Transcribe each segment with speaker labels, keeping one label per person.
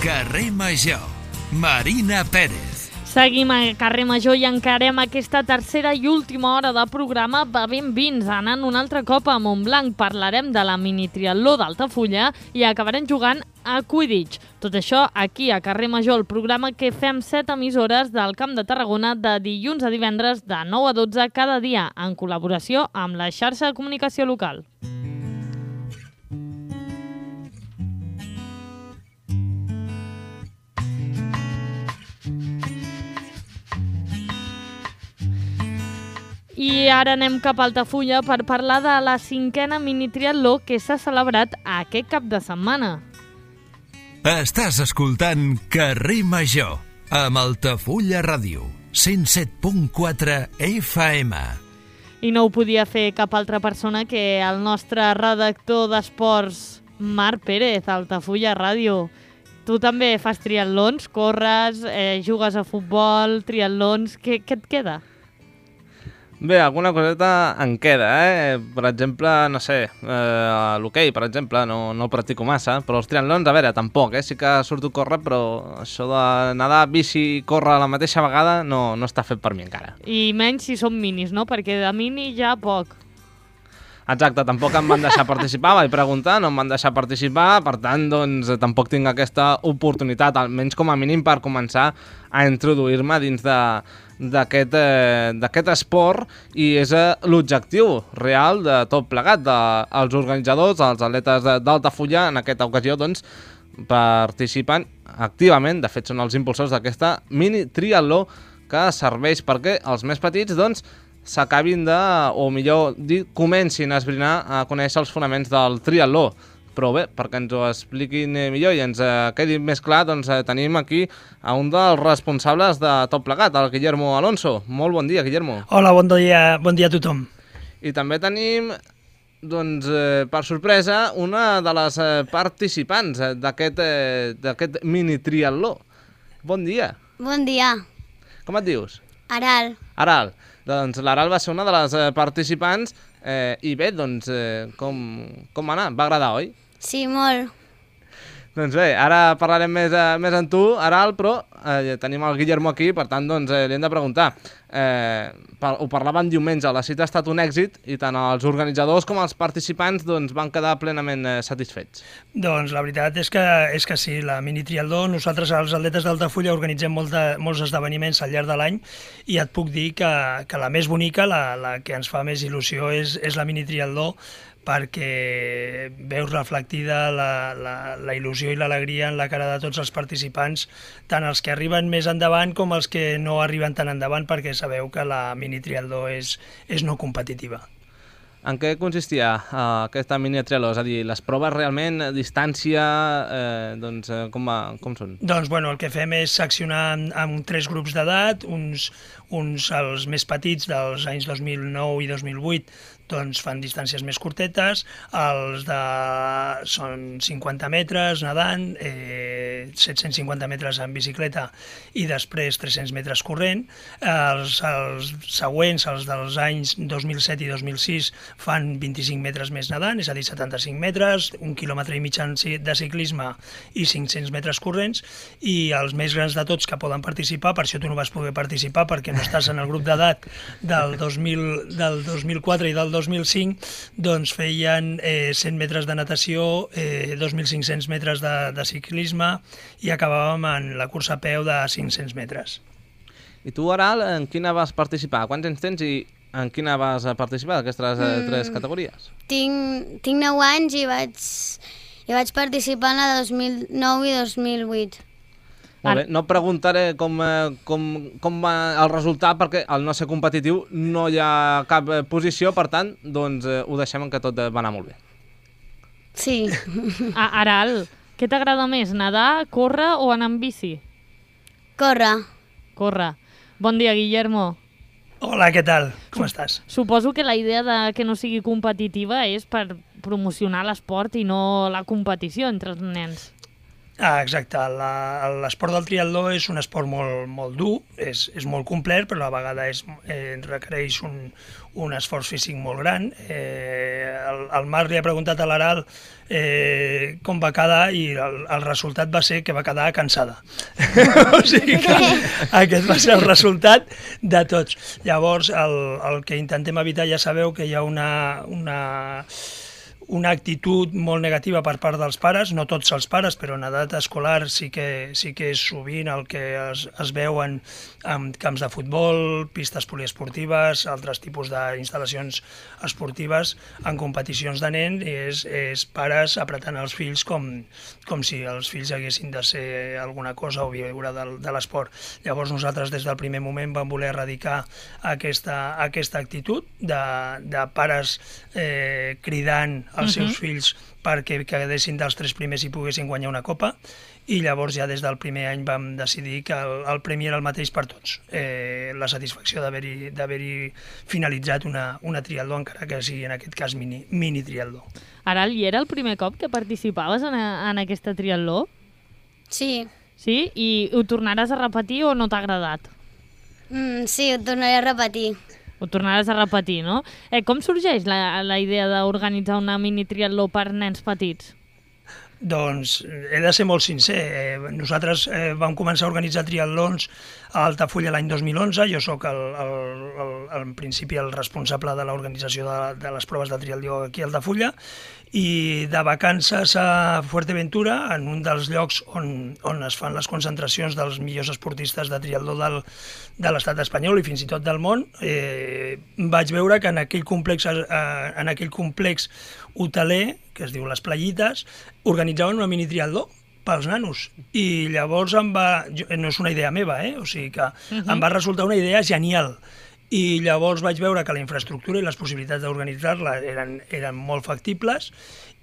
Speaker 1: Carrer Major, Marina Pérez.
Speaker 2: Seguim a Carrer Major i encarem aquesta tercera i última hora de programa bevent vins, anant un altre cop a Montblanc. Parlarem de la mini-triatló d'Altafulla i acabarem jugant a Quidditch. Tot això aquí a Carrer Major, el programa que fem 7 emissores del Camp de Tarragona de dilluns a divendres de 9 a 12 cada dia, en col·laboració amb la xarxa de comunicació local. I ara anem cap a Altafulla per parlar de la 5a mini-triatló que s'ha celebrat aquest cap de setmana.
Speaker 1: Estàs escoltant Carrer Major, amb Altafulla Ràdio, 107.4 FM.
Speaker 2: I no ho podia fer cap altra persona que el nostre redactor d'esports, Marc Pérez, Altafulla Ràdio. Tu també fas triatlons, corres, jugues a futbol, triatlons, què et queda?
Speaker 3: Bé, alguna coseta en queda, Per exemple, no sé, l'hoquei, per exemple, no el practico massa, però els triatlons, a veure, tampoc, Sí que surto a córrer, però això de nedar, bici i córrer a la mateixa vegada no està fet per mi encara.
Speaker 2: I menys si són minis, no? Perquè de mini ja poc.
Speaker 3: Exacte, tampoc em van deixar participar, vaig preguntar, no em van deixar participar, per tant, doncs, tampoc tinc aquesta oportunitat, almenys com a mínim per començar a introduir-me dins d'aquest esport, i és l'objectiu real de tot plegat, dels organitzadors, els atletes d'Altafulla, en aquesta ocasió, doncs, participen activament, de fet són els impulsors d'aquesta mini-triatló que serveix perquè els més petits, doncs, s'acabin o millor dir, comencin a esbrinar a conèixer els fonaments del triatló. Però bé, perquè ens ho expliquin millor i ens quedi més clar, doncs tenim aquí a un dels responsables de tot plegat, el Guillermo Alonso. Molt bon dia, Guillermo.
Speaker 4: Hola, bon dia a tothom.
Speaker 3: I també tenim, doncs, per sorpresa, una de les participants d'aquest mini-triatló. Bon dia.
Speaker 5: Bon dia.
Speaker 3: Com et dius?
Speaker 5: Aral.
Speaker 3: Aral. Doncs l'Aral va ser una de les participants i bé, doncs, com va anar? Va agradar, oi?
Speaker 5: Sí, molt.
Speaker 3: Doncs bé, ara parlarem més amb tu, Aral, però tenim el Guillermo aquí, per tant, doncs, li hem de preguntar. Ho parlàvem diumenge, la cita ha estat un èxit i tant els organitzadors com els participants doncs, van quedar plenament satisfets.
Speaker 4: Doncs la veritat és que sí, la mini-triatló, nosaltres els atletes d'Altafulla organitzem molts esdeveniments al llarg de l'any i et puc dir que la més bonica, la que ens fa més il·lusió és la mini-triatló, perquè veus reflectida la il·lusió i l'alegria en la cara de tots els participants, tant els que arriben més endavant com els que no arriben tan endavant, perquè sabeu que la mini-triatló és no competitiva.
Speaker 3: En què consistia aquesta mini-triatló? És a dir, les proves realment, distància, doncs, com són?
Speaker 4: Doncs, bueno, el que fem és seccionar en 3 grups d'edat, uns els més petits dels anys 2009 i 2008, doncs fan distàncies més curtetes, són 50 metres nedant, 750 metres en bicicleta i després 300 metres corrent. Els següents, els dels anys 2007 i 2006, fan 25 metres més nedant, és a dir, 75 metres, 1,5 quilòmetre de ciclisme i 500 metres corrents, i els més grans de tots que poden participar, per això tu no vas poder participar perquè no estàs en el grup d'edat del 2004 i del 2005, doncs feien 100 metres de natació, 2.500 metres de ciclisme i acabàvem en la cursa a peu de 500 metres.
Speaker 3: I tu, Aral, en quina vas participar? Quants anys tens i en quina vas participar d'aquestes 3 categories?
Speaker 5: Tinc 9 anys i vaig participar en la 2009 i 2008.
Speaker 3: Molt bé, no preguntaré com va el resultat perquè al no ser competitiu no hi ha cap posició, per tant, doncs ho deixem en que tot va anar molt bé.
Speaker 5: Sí.
Speaker 2: Aral, què t'agrada més, nedar, córrer o anar amb bici?
Speaker 5: Córrer.
Speaker 2: Córrer. Bon dia, Guillermo.
Speaker 4: Hola, què tal? Com estàs?
Speaker 2: Suposo que la idea de que no sigui competitiva és per promocionar l'esport i no la competició entre els nens.
Speaker 4: Exacte. L'esport del triatló és un esport molt dur, és molt complet, però a la vegada requereix un esforç físic molt gran. El Marc li ha preguntat a l'Aral com va quedar i el resultat va ser que va quedar cansada. O sigui que aquest va ser el resultat de tots. Llavors, el que intentem evitar, ja sabeu que hi ha una actitud molt negativa per part dels pares, no tots els pares, però en edat escolar sí que és sovint el que es veuen en camps de futbol, pistes poliesportives, altres tipus d'instal·lacions esportives en competicions de nen, és pares apretant els fills com si els fills haguessin de ser alguna cosa o viure de l'esport. Llavors nosaltres des del primer moment vam voler erradicar aquesta actitud de pares cridant als seus fills perquè quedessin dels 3 primers i poguessin guanyar una copa, i llavors ja des del primer any vam decidir que el premi era el mateix per tots. La satisfacció d'haver-hi finalitzat una triatló, encara que sigui en aquest cas mini triatló.
Speaker 2: Aral, i era el primer cop que participaves en aquesta triatló?
Speaker 5: Sí.
Speaker 2: Sí? I ho tornaràs a repetir o no t'ha agradat?
Speaker 5: Sí, ho tornaré a repetir.
Speaker 2: Ho tornaràs a repetir, no? Com sorgeix la idea d'organitzar una mini triatló per nens petits?
Speaker 4: Doncs he de ser molt sincer. Nosaltres vam començar a organitzar triatlons a Altafulla l'any 2011. Jo sóc en principi el responsable de l'organització de les proves de triatló aquí a Altafulla, i de vacances a Fuerteventura, en un dels llocs on es fan les concentracions dels millors esportistes de triatló de l'estat espanyol i fins i tot del món, vaig veure que en aquell complex hoteler, que es diu Les Playites, organitzaven una mini triatló pels nanos. I llavors no és una idea meva, o sigui que em va resultar una idea genial. I llavors vaig veure que la infraestructura i les possibilitats d'organitzar-la eren molt factibles,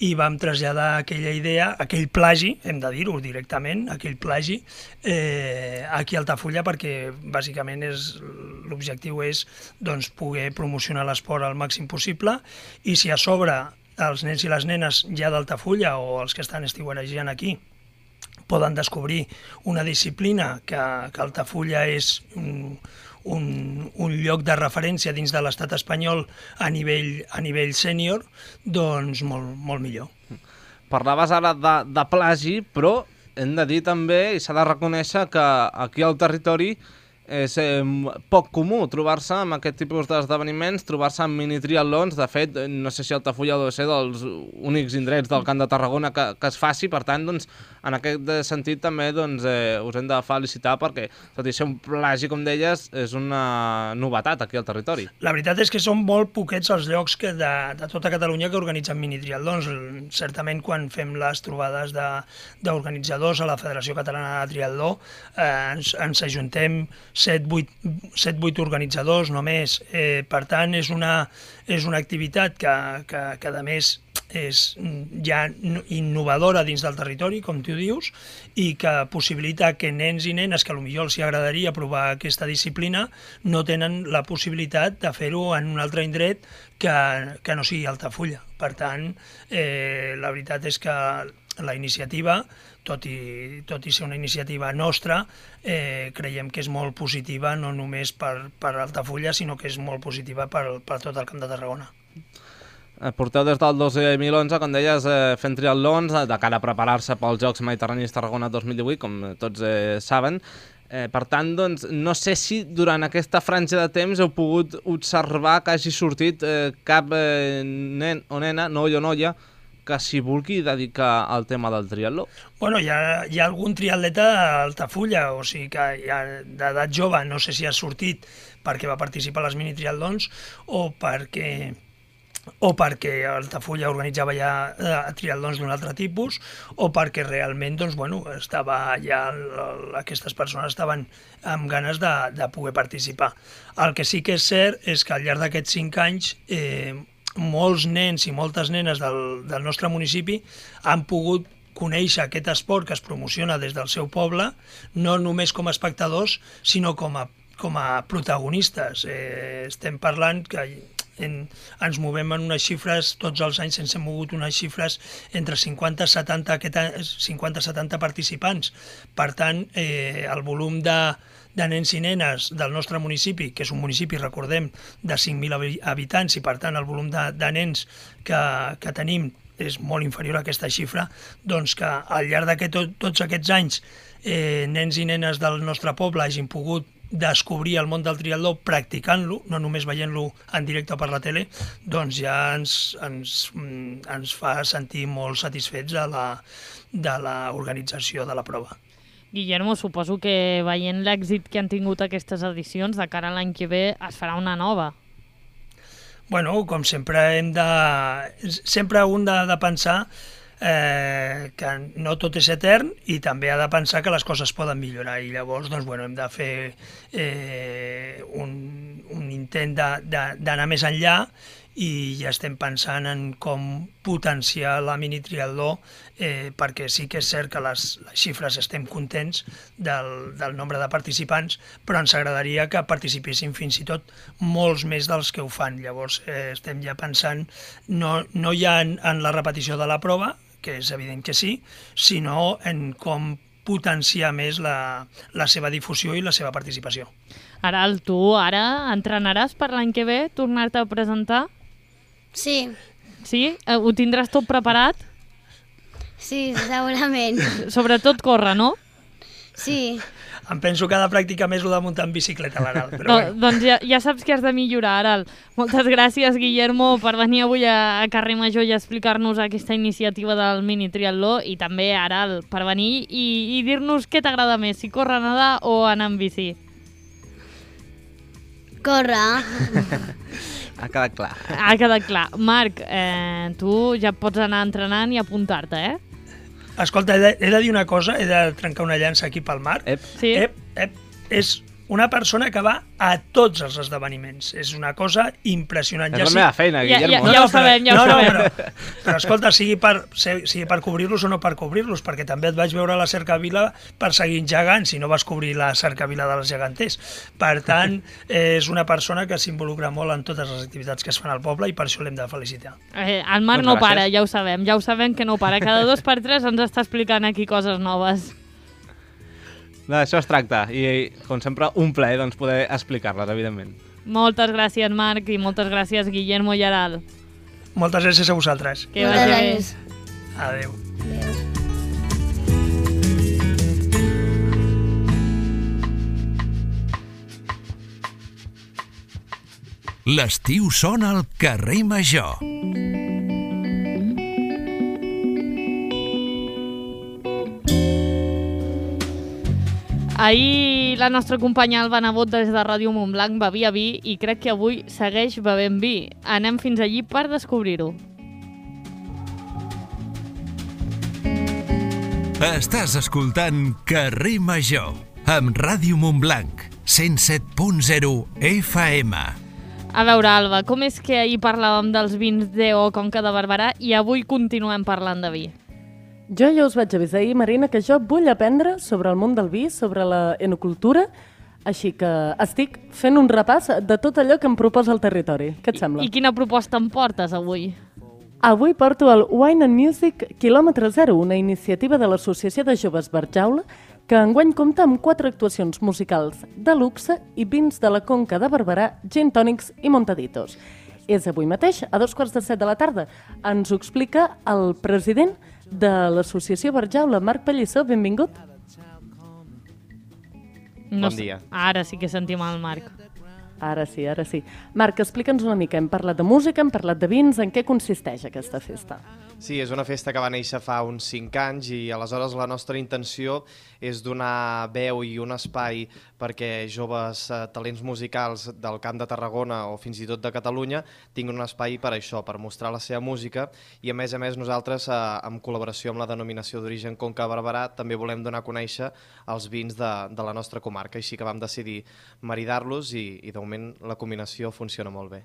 Speaker 4: i vam traslladar aquella idea, aquell plagi, hem de dir-ho directament, aquell plagi, aquí a Altafulla, perquè bàsicament l'objectiu és poder promocionar l'esport al màxim possible, i si a sobre els nens i les nenes ja d'Altafulla o els que estan estiuejant aquí poden descobrir una disciplina que Altafulla és un lloc de referència dins de l'estat espanyol a nivell sènior, doncs molt millor.
Speaker 3: Parlaves ara de plagi, però hem de dir també, i s'ha de reconèixer, que aquí al territori és poc comú trobar-se amb aquest tipus d'esdeveniments, trobar-se en mini-triatlons. De fet, no sé si Altafulla deu ser dels únics indrets del Camp de Tarragona que es faci. Per tant, en aquest sentit també us hem de felicitar, perquè, tot i ser un plagi, com deies, és una novetat aquí al territori.
Speaker 4: La veritat és que són molt poquets els llocs de tota Catalunya que organitzen mini-triatlons. Certament, quan fem les trobades d'organitzadors a la Federació Catalana de Triatló, ens ajuntem 7-8 organitzadors només. Per tant, és una activitat que a més és ja innovadora dins del territori, com tu dius, i que possibilita que nens i nenes que potser els agradaria provar aquesta disciplina no tenen la possibilitat de fer-ho en un altre indret que no sigui Altafulla. Per tant, la veritat és que la iniciativa, tot i ser una iniciativa nostra, creiem que és molt positiva, no només per Altafulla, sinó que és molt positiva per tot el Camp de Tarragona.
Speaker 3: Porteu des del 2011, com deies, fent triatlons de cara a preparar-se pels Jocs Mediterranis Tarragona 2018, com tots saben. Per tant, no sé si durant aquesta franja de temps heu pogut observar que hagi sortit cap nen o nena, noi o noia, que s'hi vulgui dedicar al tema del triatló.
Speaker 4: Bueno, hi ha algun triatleta a Altafulla, o sigui que d'edat jove, no sé si ha sortit perquè va participar a les mini-triatlons o perquè Altafulla organitzava ja triatlons d'un altre tipus, o perquè realment estava ja aquestes persones estaven amb ganes de poder participar. El que sí que és cert és que al llarg d'aquests 5 anys molts nens i moltes nenes del nostre municipi han pogut conèixer aquest esport que es promociona des del seu poble, no només com a espectadors, sinó com a protagonistes. Estem parlant que ens movem en unes xifres, tots els anys ens hem mogut unes xifres entre 50 i 70 participants. Per tant, el volum de nens i nenes del nostre municipi, que és un municipi, recordem, de 5.000 habitants, i per tant el volum de nens que tenim és molt inferior a aquesta xifra, doncs que al llarg de tots aquests anys nens i nenes del nostre poble hagin pogut descobrir el món del triatló practicant-lo, no només veient-lo en directe per la tele, doncs ja ens fa sentir molt satisfets de l'organització de la prova.
Speaker 2: Guillermo, suposo que veient l'èxit que han tingut aquestes edicions, de cara a l'any que ve es farà una nova.
Speaker 4: Bueno, com sempre sempre un de pensar que no tot és etern i també ha de pensar que les coses poden millorar i llavors doncs, bueno, hem de fer un intent d'anar més enllà i ja estem pensant en com potenciar la mini-triatló perquè sí que és cert que les xifres estem contents del nombre de participants, però ens agradaria que participessin fins i tot molts més dels que ho fan. Llavors estem ja pensant no ja en la repetició de la prova, que és evident que sí, sinó en com potenciar més la seva difusió i la seva participació.
Speaker 2: Aral, tu ara entrenaràs per l'any que ve, tornar-te a presentar?
Speaker 5: Sí,
Speaker 2: Sí? Ho tindràs tot preparat?
Speaker 5: sí, segurament.
Speaker 2: Sobretot córrer, no?
Speaker 5: Sí,
Speaker 4: Em penso que ha de practicar més el de muntar en bicicleta, l'Aral, però bueno.
Speaker 2: Doncs ja saps que has de millorar, Aral. Moltes gràcies, Guillermo, per venir avui a Carrer Major i explicar-nos aquesta iniciativa del mini-triatló, i també, Aral, per venir i dir-nos què t'agrada més, si córrer, nedar o anar en bici.
Speaker 5: córrer.
Speaker 3: Ha quedat clar.
Speaker 2: Ha quedat clar. Marc, tu ja pots anar entrenant i apuntar-te, eh?
Speaker 4: Escolta, he de dir una cosa, he de trencar una llança aquí pel Marc.
Speaker 2: Sí.
Speaker 4: És una persona que va a tots els esdeveniments. És una cosa impressionant.
Speaker 3: És la meva feina, Guillermo.
Speaker 2: Ja ho sabem, ja ho sabem.
Speaker 4: Però escolta, sigui per cobrir-los o no per cobrir-los, perquè també et vaig veure a la Cercavila perseguint gegants, si no vas cobrir la Cercavila dels geganters. Per tant, és una persona que s'involucra molt en totes les activitats que es fan al poble i per això l'hem de felicitar.
Speaker 2: El Marc no para, ja ho sabem que no para. Cada 2 per 3 ens està explicant aquí coses noves.
Speaker 3: D'això es tracta i, com sempre, un plaer doncs, poder explicar-les, evidentment.
Speaker 2: Moltes gràcies, Marc, i moltes gràcies, Guillermo i Aral.
Speaker 4: Moltes gràcies a vosaltres.
Speaker 2: Que
Speaker 5: Moltes
Speaker 2: vagi bé.
Speaker 5: gràcies.
Speaker 4: Adéu.
Speaker 1: L'estiu sona al carrer Major.
Speaker 2: Ahir la nostra companya Alba Nebot des de Ràdio Montblanc bevia vi i crec que avui segueix bevent vi. Anem fins allí per descobrir-ho.
Speaker 1: Estàs escoltant Carrer Major amb Ràdio Montblanc, 107.0 FM.
Speaker 2: A veure, Alba, com és que ahir parlàvem dels vins D.O. Conca de Barberà i avui continuem parlant de vi?
Speaker 6: Jo ja us vaig avisar ahir, Marina, que jo vull aprendre sobre el món del vi, sobre la enocultura, així que estic fent un repàs de tot allò que em proposa el territori. Què et sembla?
Speaker 2: I quina proposta em portes avui?
Speaker 6: Avui porto el Wine and Music Kilòmetre Zero, una iniciativa de l'Associació de Joves Barjaula, que enguany compta amb 4 actuacions musicals de luxe i vins de la Conca de Barberà, gin tònics i montaditos. És avui mateix, a 2:15 de la tarda. Ens ho explica el president de l'Associació Barjaula, Marc Pallissó. Benvingut.
Speaker 3: Bon dia.
Speaker 2: Ara sí que sentim el Marc.
Speaker 6: Ara sí, ara sí. Marc, explica'ns una mica. Hem parlat de música, hem parlat de vins. En què consisteix aquesta festa?
Speaker 7: Sí, és una festa que va néixer fa uns 5 anys i aleshores la nostra intenció és donar veu i un espai perquè joves talents musicals del Camp de Tarragona o fins i tot de Catalunya tinguin un espai per això, per mostrar la seva música i a més nosaltres, en col·laboració amb la denominació d'origen Conca de Barberà, també volem donar a conèixer els vins de la nostra comarca, així que vam decidir maridar-los i de moment la combinació funciona molt bé.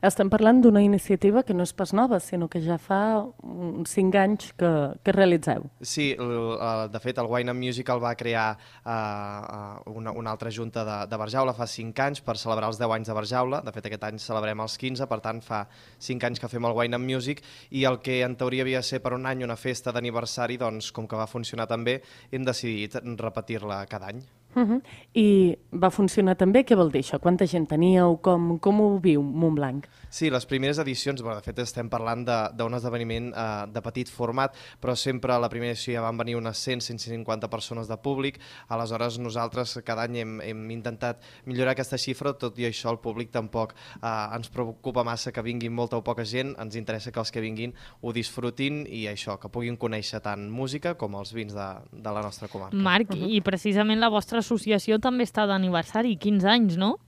Speaker 6: Estem parlant d'una iniciativa que no és pas nova, sinó que ja fa uns 5 anys que realitzeu.
Speaker 7: Sí, de fet el Wine and Music el va crear una altra junta de Barjaula fa 5 anys per celebrar els 10 anys de Barjaula. De fet aquest any celebrem els 15, per tant fa 5 anys que fem el Wine and Music, i el que en teoria havia de ser per un any una festa d'aniversari, doncs com que va funcionar tan bé hem decidit repetir-la cada any.
Speaker 6: I va funcionar també? Què vol dir això? Quanta gent teníeu? Com ho viu Montblanc?
Speaker 7: Sí, les primeres edicions, de fet estem parlant d'un esdeveniment de petit format, però sempre a la primera edició ja van venir unes 100-150 persones de públic. Aleshores nosaltres cada any hem intentat millorar aquesta xifra, tot i això el públic tampoc ens preocupa massa que vinguin molta o poca gent, ens interessa que els que vinguin ho disfrutin i això, que puguin conèixer tant música com els vins de la nostra comarca.
Speaker 2: Marc, i precisament la vostra associació també està d'aniversari, 15 anys, no?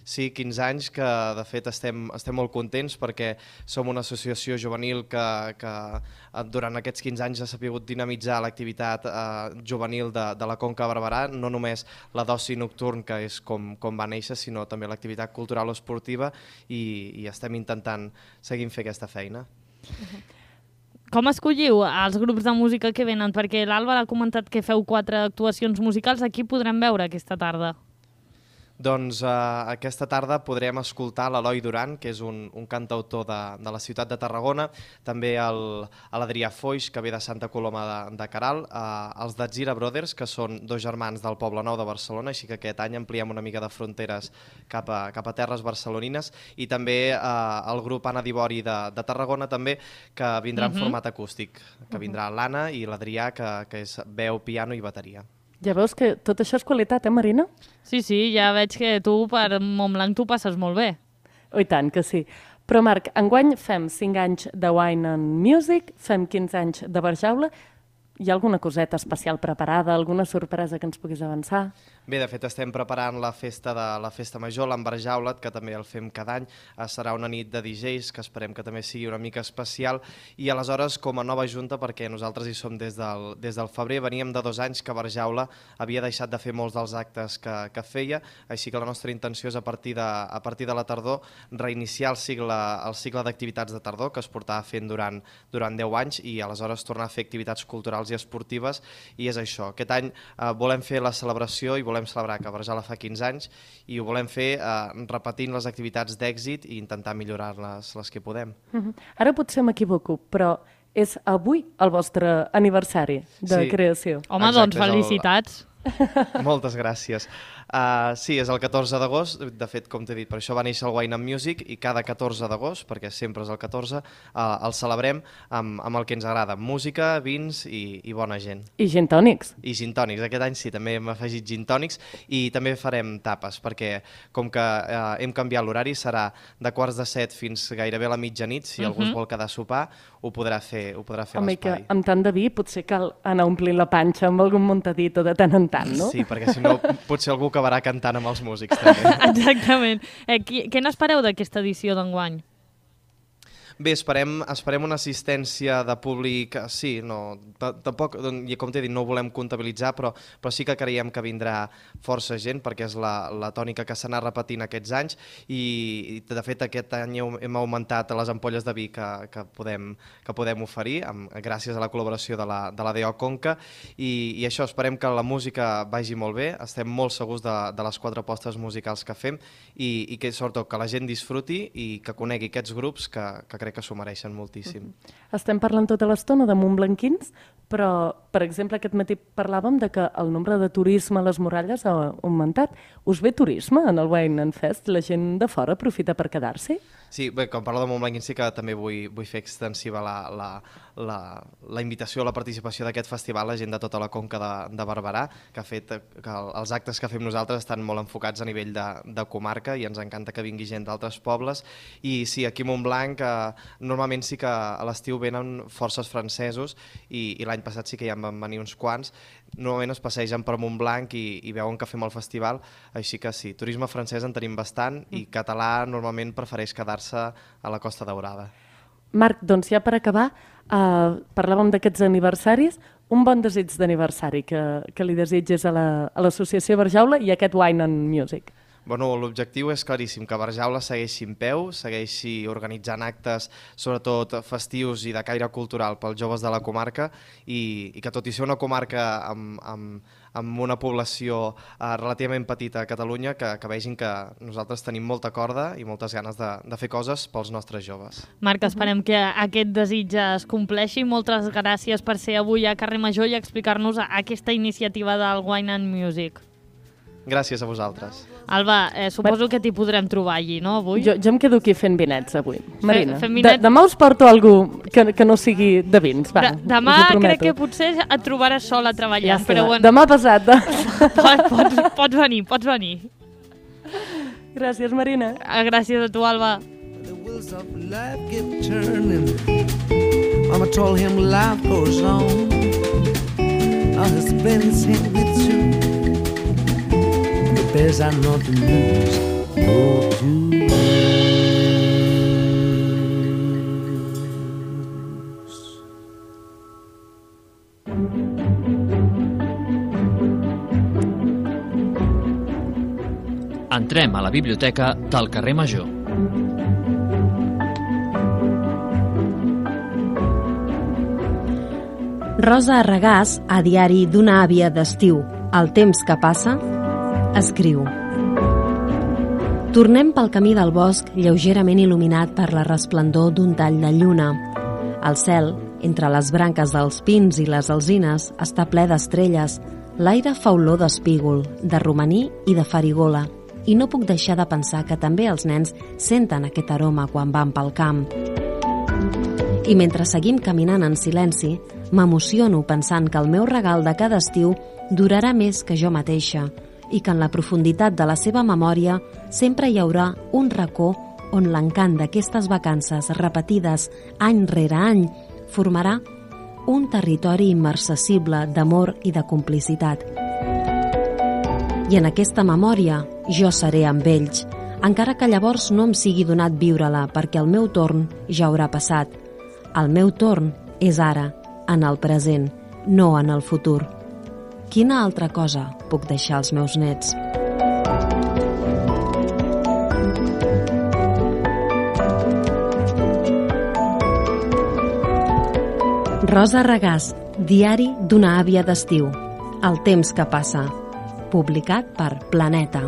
Speaker 7: Sí, 15 anys que de fet estem molt contents perquè som una associació juvenil que durant aquests 15 anys ha sabut dinamitzar l'activitat juvenil de la Conca de Barberà, no només la d'oci nocturn, que és com va néixer, sinó també l'activitat cultural o esportiva, i estem intentant seguir fent aquesta feina.
Speaker 2: Com escolliu els grups de música que venen? Perquè l'Àlvar ha comentat que feu 4 actuacions musicals. A qui podrem veure aquesta tarda?
Speaker 7: Doncs aquesta tarda podrem escoltar l'Eloi Duran, que és un cantautor de la ciutat de Tarragona, també l'Adrià Foix, que ve de Santa Coloma de Queralt, els Datzira Brothers, que són 2 germans del Poble Nou de Barcelona, així que aquest any ampliem una mica de fronteres cap a terres barcelonines, i també el grup Anna Dibori de Tarragona, també, que vindrà en format acústic, que vindrà l'Anna i l'Adrià, que és veu, piano i bateria.
Speaker 6: Ja veus que tot això és qualitat, Marina?
Speaker 2: Sí, ja veig que tu per Montblanc t'ho passes molt bé.
Speaker 6: Oh, i tant que sí. Però Marc, enguany fem 5 anys de Wine and Music, fem 15 anys de Barjaula. Hi ha alguna coseta especial preparada, alguna sorpresa que ens puguis avançar?
Speaker 7: Bé, de fet estem preparant la festa major, l'Embarjaulet, que també el fem cada any. Serà una nit de DJs, que esperem que també sigui una mica especial. I aleshores, com a nova junta, perquè nosaltres hi som des del febrer, veníem de 2 anys que Barjaula havia deixat de fer molts dels actes que feia, així que la nostra intenció és a partir de la tardor reiniciar el cicle d'activitats de tardor que es portava fent durant 10 anys i aleshores tornar a fer activitats culturals i esportives, i és això. Aquest any volem fer la celebració i volem celebrar que Barjaula fa 15 anys, i ho volem fer repetint les activitats d'èxit i intentar millorar-les les que podem.
Speaker 6: Ara potser m'equivoco, però és avui el vostre aniversari de creació.
Speaker 2: Home, doncs felicitats.
Speaker 7: Moltes gràcies. Sí, és el 14 d'agost, de fet, com t'he dit, per això va néixer el Wine and Music, i cada 14 d'agost, perquè sempre és el 14, el celebrem amb el que ens agrada, música, vins i bona gent.
Speaker 6: I gin tònics.
Speaker 7: I gin tònics, aquest any sí, també hem afegit gin tònics, i també farem tapes, perquè com que hem canviat l'horari, serà de 6:45 fins gairebé a la mitjanit, si algú es vol quedar a sopar, ho podrà fer a l'espai.
Speaker 6: Home, que amb tant de vi potser cal anar omplint la panxa amb algun muntadito de tant en tant, no?
Speaker 7: Sí, perquè si no potser algú acabarà cantant amb els músics també.
Speaker 2: Exactament. Què n'espereu d'aquesta edició d'enguany?
Speaker 7: Bé, esperem una assistència de públic, sí, tampoc, com t'he dit, no ho volem comptabilitzar, però sí que creiem que vindrà força gent, perquè és la tònica que s'ha anat repetint aquests anys, i de fet aquest any hem augmentat les ampolles de vi que podem oferir, gràcies a la col·laboració de la DO Conca, i això, esperem que la música vagi molt bé, estem molt segurs de les 4 apostes musicals que fem, i que sobretot que la gent disfruti i que conegui aquests grups que crec que s'ho mereixen moltíssim.
Speaker 6: Estem parlant tota l'estona de montblanquins, però, per exemple, aquest matí parlàvem de que el nombre de turisme a les muralles ha augmentat. Us ve turisme en el Wine and Fest? La gent de fora aprofita per quedar-s'hi?
Speaker 7: Sí, bé, quan parlo de Montblanquins sí que també vull fer extensiva la invitació a la participació d'aquest festival, la gent de tota la Conca de Barberà, que ha fet que els actes que fem nosaltres estan molt enfocats a nivell de comarca, i ens encanta que vingui gent d'altres pobles. I sí, aquí a Montblanc normalment sí que a l'estiu venen forces francesos, i l'any passat sí que ja en van venir uns quants. Normalment es passegen per Montblanc i veuen que fem el festival, així que sí, turisme francès en tenim bastant, i català normalment prefereix quedar-se a la Costa Daurada.
Speaker 6: Marc, doncs ja per acabar, parlàvem d'aquests aniversaris, un bon desig d'aniversari que li desitges a l'Associació Barjaula i a aquest Wine and Music.
Speaker 7: Bueno, l'objectiu és claríssim, que Barjaula segueixi en peu, segueixi organitzant actes, sobretot festius i de caire cultural pels joves de la comarca i que tot i ser una comarca amb una població relativament petita a Catalunya, que vegin que nosaltres tenim molta corda i moltes ganes de fer coses pels nostres joves.
Speaker 2: Marc, esperem que aquest desig es compleixi. Moltes gràcies per ser avui a Carrer Major i explicar-nos aquesta iniciativa del Wine and Music.
Speaker 7: Gràcies a vosaltres.
Speaker 2: Alba, suposo que t'hi podrem trobar allí, no, avui?
Speaker 6: Jo em quedo aquí fent vinets avui. Marina,
Speaker 2: fem vinets.
Speaker 6: Demà us porto algú que no sigui de vins. Va,
Speaker 2: demà crec que potser et trobaràs sola treballant,
Speaker 6: ja
Speaker 2: però bueno.
Speaker 6: Demà passat.
Speaker 2: Pots venir.
Speaker 6: Gràcies, Marina.
Speaker 2: Gràcies a tu, Alba.
Speaker 8: The wheels of life keep turning. Mama told him life goes on. Now he's playing sing with you. The bears are not the news, no to
Speaker 9: Entrem a la biblioteca del carrer Major.
Speaker 10: Rosa Regàs, a diari d'una àvia d'estiu, El temps que passa, escriu: Tornem pel camí del bosc lleugerament il·luminat per la resplendor d'un tall de lluna. El cel, entre les branques dels pins i les alzines, està ple d'estrelles. L'aire fa olor d'espígol, de romaní i de farigola. I no puc deixar de pensar que també els nens senten aquest aroma quan van pel camp. I mentre seguim caminant en silenci, m'emociono pensant que el meu regal de cada estiu durarà més que jo mateixa i que en la profunditat de la seva memòria sempre hi haurà un racó on l'encant d'aquestes vacances repetides any rere any formarà un territori immarcessible d'amor i de complicitat. I en aquesta memòria jo seré amb ells, encara que llavors no em sigui donat viure-la perquè el meu torn ja haurà passat. El meu torn és ara, en el present, no en el futur. Quina altra cosa puc deixar als meus nets? Rosa Regàs, diari d'una àvia d'estiu. El temps que passa. Publicat per Planeta.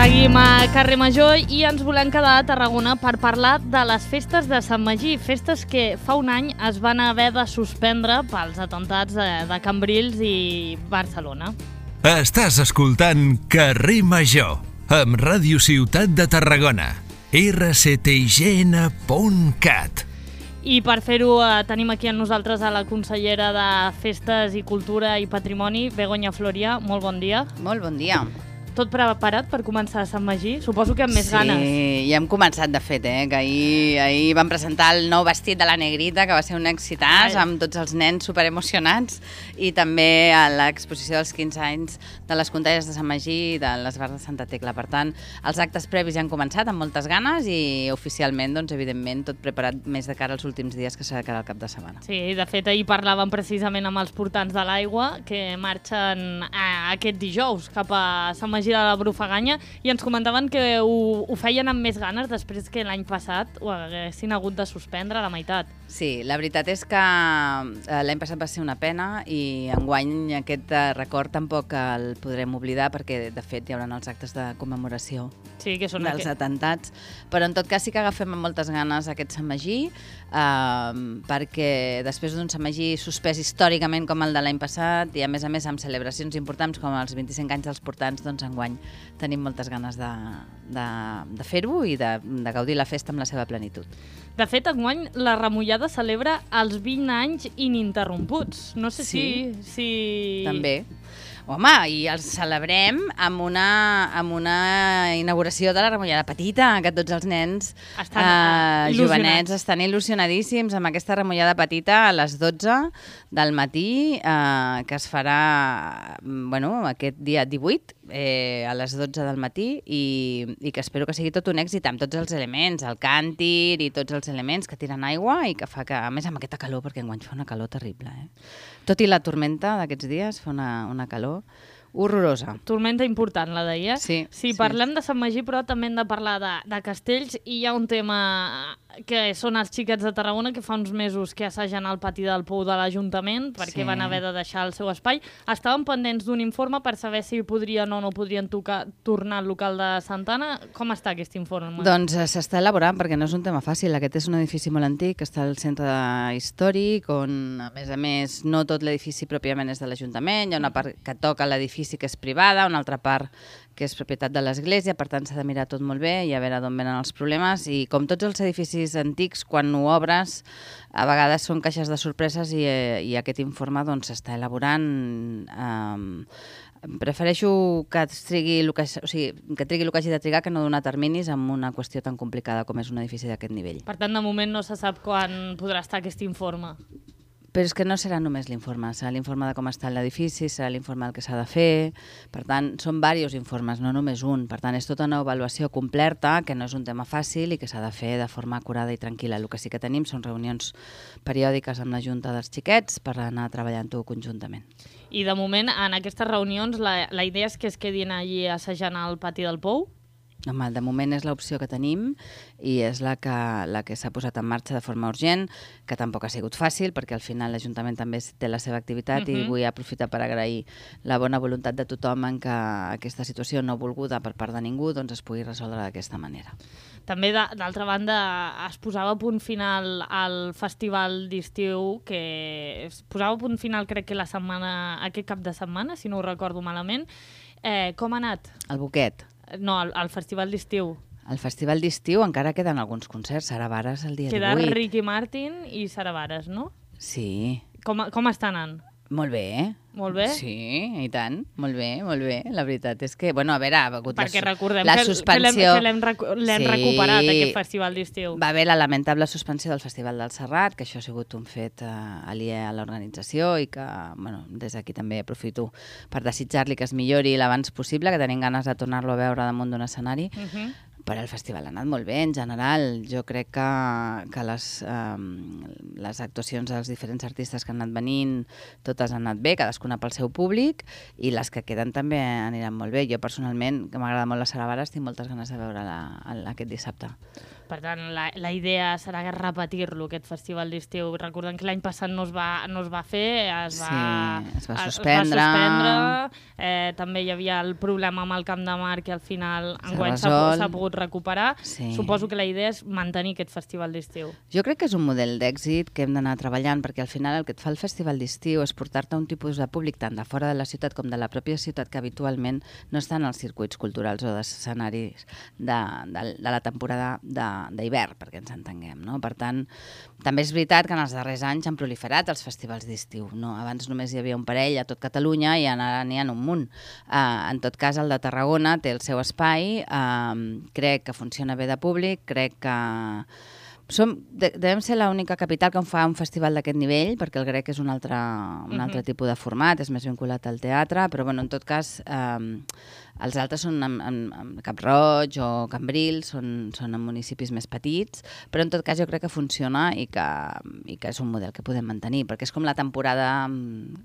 Speaker 2: Seguim a Carrer Major i ens volem quedar a Tarragona per parlar de les festes de Sant Magí, festes que fa un any es van haver de suspendre pels atemptats de Cambrils i Barcelona.
Speaker 1: Estàs escoltant Carrer Major, amb Ràdio Ciutat de Tarragona, rctgn.cat.
Speaker 2: I per fer-ho tenim aquí amb nosaltres a la consellera de Festes i Cultura i Patrimoni, Begoña Floria. Molt bon dia.
Speaker 11: Molt bon dia.
Speaker 2: Tot preparat per començar a Sant Magí? Suposo que amb més ganes.
Speaker 11: Sí, ja hem començat, de fet, que ahir vam presentar el nou vestit de la Negrita, que va ser un èxitàs, amb tots els nens superemocionats, i també a l'exposició dels 15 anys de les Contalles de Sant Magí i de les Bars de Santa Tecla. Per tant, els actes previs ja han començat amb moltes ganes i oficialment, doncs, evidentment, tot preparat més de cara als últims dies que serà cara al cap de setmana.
Speaker 2: Sí, de fet, ahir parlàvem precisament amb els portants de l'aigua que marxen aquest dijous cap a Sant Magí de la Brufaganya i ens comentaven que ho feien amb més ganes després que l'any passat ho haguessin hagut de suspendre a la meitat.
Speaker 11: Sí, la veritat és que l'any passat va ser una pena i enguany aquest record tampoc el podrem oblidar perquè de fet hi haurà els actes de commemoració dels atemptats, però en tot cas sí que agafem amb moltes ganes aquest Sant Magí perquè després d'un Sant Magí suspès històricament com el de l'any passat i a més amb celebracions importants com els 25 anys dels portants, doncs enguany tenim moltes ganes de fer-ho i de gaudir la festa amb la seva plenitud.
Speaker 2: De fet, enguany la Remullada celebra els 20 anys ininterromputs. No sé si...
Speaker 11: També. Home, i els celebrem amb una inauguració de la Remullada petita, que tots els nens jovenets estan il·lusionadíssims amb aquesta Remullada petita a les 12 del matí, que es farà aquest dia 18, a les 12 del matí, i que espero que sigui tot un èxit amb tots els elements, el càntir i tots els elements que tiren aigua i que fa que, a més amb aquesta calor, perquè enguany fa una calor terrible, tot i la tormenta d'aquests dies, fa una calor horrorosa.
Speaker 2: Tormenta important, la deia.
Speaker 11: Sí.
Speaker 2: Parlem de Sant Magí, però també hem de parlar de castells, i hi ha un tema que són els xiquets de Tarragona, que fa uns mesos que assagien al pati del Pou de l'Ajuntament, perquè van haver de deixar el seu espai. Estaven pendents d'un informe per saber si podrien o no podrien tornar al local de Santa Anna. Com està aquest informe?
Speaker 11: Doncs s'està elaborant, perquè no és un tema fàcil. Aquest és un edifici molt antic, que està al centre històric, on, a més, no tot l'edifici pròpiament és de l'Ajuntament, hi ha una part que toca l'edifici que és privada, una altra part que és propietat de l'Església, per tant s'ha de mirar tot molt bé i a veure d'on venen els problemes, i com tots els edificis antics, quan ho obres, a vegades són caixes de sorpreses, i aquest informe s'està elaborant. Prefereixo que trigui el que hagi de trigar, que no donar terminis amb una qüestió tan complicada com és un edifici d'aquest nivell.
Speaker 2: Per tant, de moment no se sap quan podrà estar aquest informe.
Speaker 11: Però és que no serà només l'informe, serà l'informe de com està l'edifici, serà l'informe del que s'ha de fer. Per tant, són diversos informes, no només un. Per tant, és tota una avaluació completa, que no és un tema fàcil i que s'ha de fer de forma acurada i tranquil·la. El que sí que tenim són reunions periòdiques amb la Junta dels Xiquets per anar treballant-ho conjuntament.
Speaker 2: I de moment, en aquestes reunions, la idea és que es quedin allí assajant al pati del Pou?
Speaker 11: Home, de moment és l'opció que tenim i és la que s'ha posat en marxa de forma urgent, que tampoc ha sigut fàcil, perquè al final l'Ajuntament també té la seva activitat i vull aprofitar per agrair la bona voluntat de tothom en que aquesta situació no volguda per part de ningú es pugui resoldre d'aquesta manera.
Speaker 2: També, d'altra banda, es posava a punt final al Festival d'Estiu, que es posava a punt final, crec que aquest cap de setmana, si no ho recordo malament. Com ha anat?
Speaker 11: El Boquet.
Speaker 2: No, al Festival d'Estiu.
Speaker 11: Al Festival d'Estiu encara queden alguns concerts. Sara Vares el dia 18.
Speaker 2: Queda Ricky Martin i Sara Vares, no?
Speaker 11: Sí.
Speaker 2: Com està anant?
Speaker 11: Molt bé.
Speaker 2: Molt bé?
Speaker 11: Sí, i tant. Molt bé, molt bé. La veritat és que, a veure, ha hagut
Speaker 2: perquè recordem
Speaker 11: la suspensió...
Speaker 2: que l'hem recuperat, aquest festival d'estiu.
Speaker 11: Va haver la lamentable suspensió del Festival del Serrat, que això ha sigut un fet aliè a l'organització i que, des d'aquí també aprofito per desitjar-li que es millori l'abans possible, que tenim ganes de tornar-lo a veure damunt d'un escenari. Però el festival ha anat molt bé, en general. Jo crec que les actuacions dels diferents artistes que han anat venint, totes han anat bé, cadascuna pel seu públic, i les que queden també aniran molt bé. Jo personalment, que m'agrada molt la Sara Vares, tinc moltes ganes de veure-la aquest dissabte.
Speaker 2: Per tant, la idea serà repetir-lo, aquest festival d'estiu. Recordem que l'any passat no es va fer, es va suspendre. També hi havia el problema amb el Camp de Mar, que al final enguany s'ha pogut recuperar. Suposo que la idea és mantenir aquest festival d'estiu.
Speaker 11: Jo crec que és un model d'èxit que hem d'anar treballant, perquè al final el que et fa el festival d'estiu és portar-te un tipus de públic tant de fora de la ciutat com de la pròpia ciutat que habitualment no estan als circuits culturals o d'escenaris de la temporada d'hivern, perquè ens entenguem, no? Per tant, també és veritat que en els darrers anys han proliferat els festivals d'estiu, no? Abans només hi havia un parell a tot Catalunya i ara n'hi ha un munt. En tot cas, el de Tarragona té el seu espai, crec que funciona bé de públic, crec que devem ser l'única capital que fa un festival d'aquest nivell, perquè el Grec és un altre tipus de format, és més vinculat al teatre, però en tot cas els altres són en Cap-roig o Cambrils, són en municipis més petits, però en tot cas jo crec que funciona i que és un model que podem mantenir, perquè és com la temporada